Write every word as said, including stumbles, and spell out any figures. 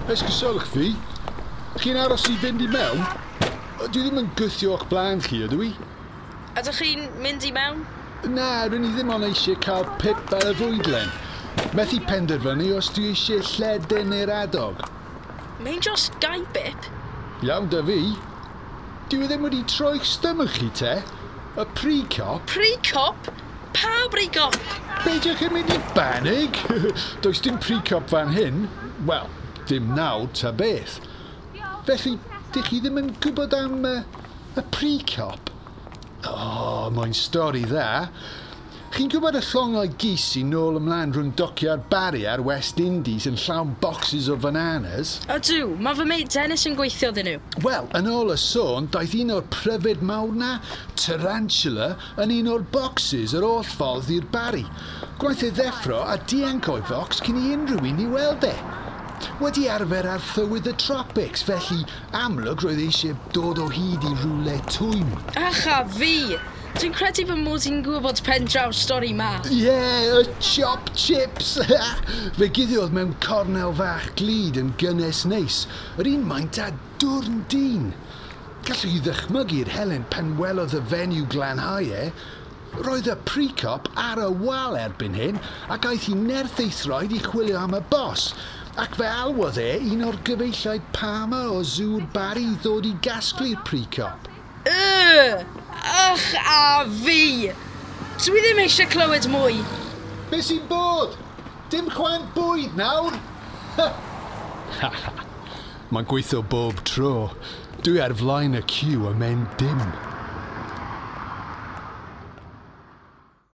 Esgusodwch fi. Chi'n aros i fynd i mewn? Dwi ddim yn gwthio o'ch blaen chi, ydw i? Ydych chi'n mynd i mewn? Na, rydyn ni ddim ond eisiau cael pip ar y fwydlen. Methu penderfynu os dwi eisiau lledyn neu'r adog. Mae'n dros gau bip. Iawn da fi. Dwi ddim wedi troi'ch stomach chi te. Y pre-cop. Pre-cop? Pa pre-cop? Beidiwch yn mynd i banig. Does dim pre-cop fan hyn. Wel, dim nawr ta beth. Felly, dych chi ddim yn gwybod am uh, y pre-cop? O, oh, mae'n stori dda. Chi'n gwybod y llongau gys sy'n nôl ymlaen rhwng dociau'r Barry a'r West Indies yn llawn boxes o bananas? Ydw, mae fy mate Dennis yn gweithio iddyn nhw. Wel, yn ôl y sôn, daeth un o'r pryfed mawr na, Tarantula, yn un o'r boxes yr holl ffordd i'r Barry. Gwnaeth e ddeffro a dianc o'i fox cyn i unrhyw un i weld e. Wedi arfer ar thywydd y tropics, felly amlwg roedd eisiau dod o hyd i rywle twym. Ach a fi! Dwi'n credu fy mod i'n gwybod pen draw'r stori ma. Ie, yeah, y chop chips! Fe guddiodd mewn cornel fach glud yn gynnes neis, yr un maint a dwrn dyn. Gallwch chi ddychmygu'r Helen pan welodd y fenyw glanhau e. Roedd y pre-cop ar y wal erbyn hyn ac aeth hi nerth ei throed i chwilio am y bos. Ac fe alwodd e un o'r gyfeilliaid Palmer o Zŵ'r Barry i ddod i gasglu'r pre-cop. Yy! Ach a fi! Dwi ddim eisiau clywed mwy. Be sy'n bod? Dim chwaint bwyd nawr? Mae'n gweithio bob tro. Dwi ar flaen y ciw a mewn dim.